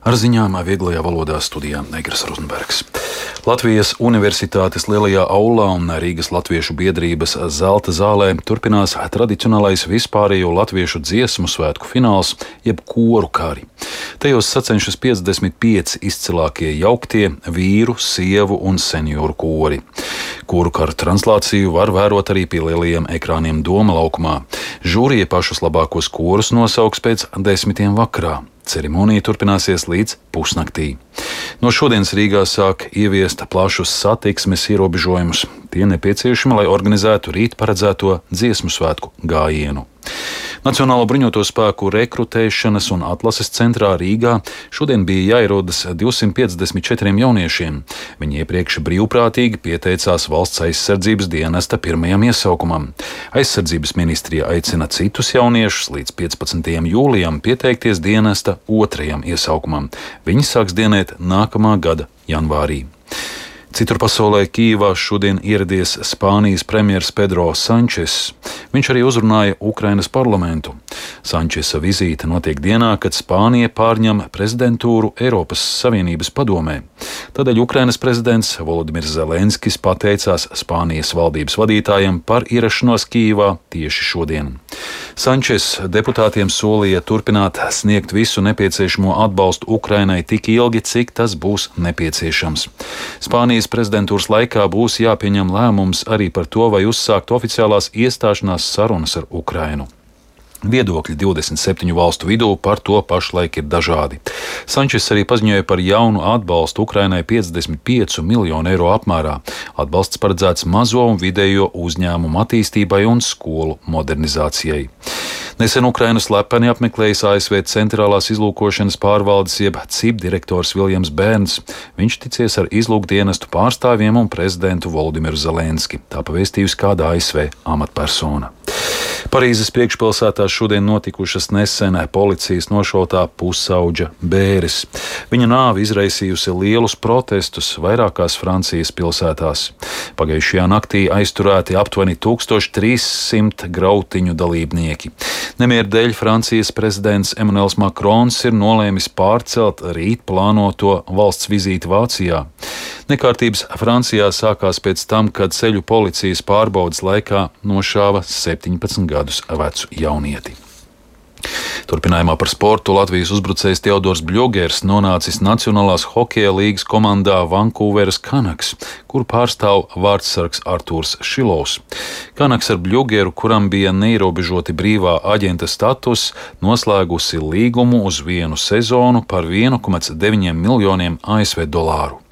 Ar ziņām vieglajā valodā studijā Negras Rozenbergs. Latvijas Universitātes lielajā aulā un Rīgas Latviešu biedrības Zelta zālē turpinās tradicionālais vispārējo latviešu dziesmu svētku fināls, jeb koru kari. Tajos sacenšas 55 izcilākie jauktie vīru, sievu un senioru kori. Koru karu translāciju var vērot arī pie lielajiem ekrāniem Doma laukumā. Žūrija pašus labākos korus nosauks pēc 10 vakarā. Ceremonija turpināsies līdz pusnaktī. No šodienas Rīgā sāk ieviest plašus satiksmes ierobežojumus. Tie nepieciešami, lai organizētu rīt paredzēto dziesmu svētku gājienu. Nacionālo bruņoto spēku rekrutēšanas un atlases centrā Rīgā šodien bija jāierodas 254 jauniešiem. Viņi iepriekš brīvprātīgi pieteicās Valsts aizsardzības dienesta pirmajam iesaukumam. Aizsardzības ministrija aicina citus jauniešus līdz 15. jūlijam pieteikties dienesta otrajam iesaukumam. Viņi sāks dienēt nākamā gada janvārī. Citur pasaulē Kijivā šodien ieradies Spānijas premjers Pedro Sančes. Viņš arī uzrunāja Ukrainas parlamentu. Sančesa vizīte notiek dienā, kad Spānija pārņem prezidentūru Eiropas Savienības padomē. Tādēļ Ukrainas prezidents Volodimirs Zelenskis pateicās Spānijas valdības vadītājiem par ierašanos Kijivā tieši šodien. Sančes deputātiem solīja turpināt sniegt visu nepieciešamo atbalstu Ukrainai tik ilgi, cik tas būs nepieciešams. Spānijas prezidentūras laikā būs jāpieņem lēmums arī par to, vai uzsākt oficiālās iestāšanās sarunas ar Ukrainu. Viedokļi 27 valstu vidū par to pašlaik ir dažādi. Sančes arī paziņoja par jaunu atbalstu Ukrainai 55 miljonu eiro apmērā. Atbalsts paredzēts mazo un vidējo uzņēmumu attīstībai un skolu modernizācijai. Nesen Ukrainu slepeni apmeklējis ASV centrālās izlūkošanas pārvaldes jeb CIP direktors Viljams Bērns. Viņš ticies ar izlūkdienestu pārstāvjiem un prezidentu Volodimiru Zelenski. Tā pavēstījusi kāda ASV amatpersona. Parīzes priekšpilsētā šodien notikušas nesen policijas nošautā pusauģa bēres. Viņa nāve izraisījusi lielus protestus vairākās Francijas pilsētās. Pagājušajā naktī aizturēti aptuveni 1300 grautiņu dalībnieki. Nemieru dēļ Francijas prezidents Emmanuels Macrons ir nolēmis pārcelt rīt plānoto valsts vizīti Vācijā. Nekārtības Francijā sākās pēc tam, kad ceļu policijas pārbaudes laikā nošāva 17 gadus vecu jaunieti. Turpinājumā par sportu Latvijas uzbrucējs Teodors Bļogers nonācis Nacionālās hokeja līgas komandā Vankūveras Canucks, kuru pārstāv vārdsargs Artūrs Šilovs. Canucks ar Bļogeru, kuram bija neierobežoti brīvā aģenta status, noslēgusi līgumu uz vienu sezonu par 1,9 miljoniem ASV dolāru.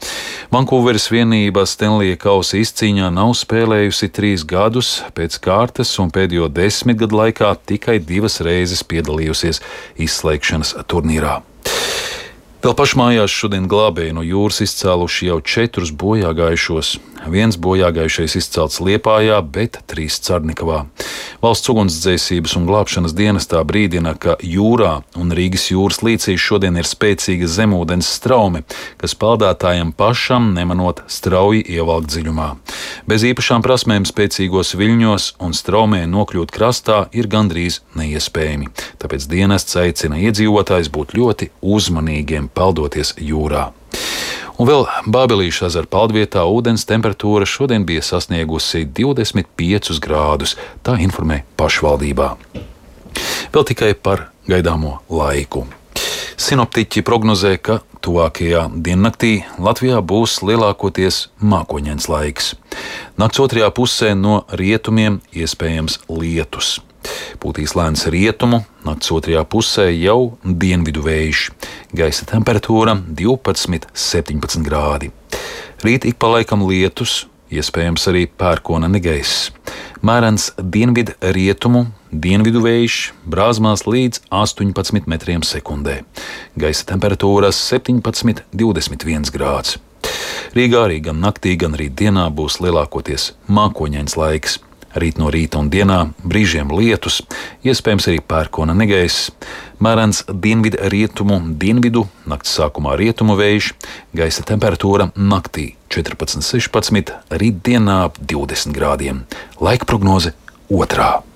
Vankūveras vienība Stenlija kausa izcīņā nav spēlējusi 3 gadus pēc kārtas un pēdējo 10 gadu laikā tikai 2 reizes piedalījusies izslēgšanas turnīrā. Vēl pašmājās šodien glābēji no jūras izcēluši jau 4 bojāgājušos. 1 bojāgājušais izcelts Liepājā, bet 3 Carnikavā. Valsts ugunsdzēsības un glābšanas dienestā brīdina, ka jūrā un Rīgas jūras līcī šodien ir spēcīga zemūdens straume, kas peldētājiem pašam nemanot strauji ievelkt dziļumā. Bez īpašām prasmēm spēcīgos viļņos un straumē nokļūt krastā ir gandrīz neiespējami. Tāpēc dienests aicina iedzīvotājus būt ļoti uzmanīgiem peldoties jūrā. Un vēl Bābelīša ezera peldvietā ūdens temperatūra šodien bija sasniegusi 25 grādus, tā informē pašvaldībā. Vēl tikai par gaidāmo laiku. Sinoptiķi prognozē, ka tuvākajā diennaktī Latvijā būs lielākoties mākoņains laiks. Nakts otrajā pusē no rietumiem iespējams lietus. Pūtīs lēns rietumu, nakts otrajā pusē jau dienvidu vējš. Gaisa temperatūra 12–17 grādi. Rīt ik pa laikam lietus, iespējams arī pērkona negaiss. Mērens dienvidu rietumu, dienvidu vējš, brāzmās līdz 18 metriem sekundē. Gaisa temperatūra 17–21 grāds. Rīgā arī gan naktī, gan rīt dienā būs lielākoties mākoņains laiks. Rīt no rīta un dienā brīžiem lietus, iespējams arī pērkona negaiss. Mērens dienvidu rietumu, dienvidu, nakts sākumā rietumu vējš, gaisa temperatūra naktī 14–16, rīt dienā 20 grādiem. Laika prognoze 2.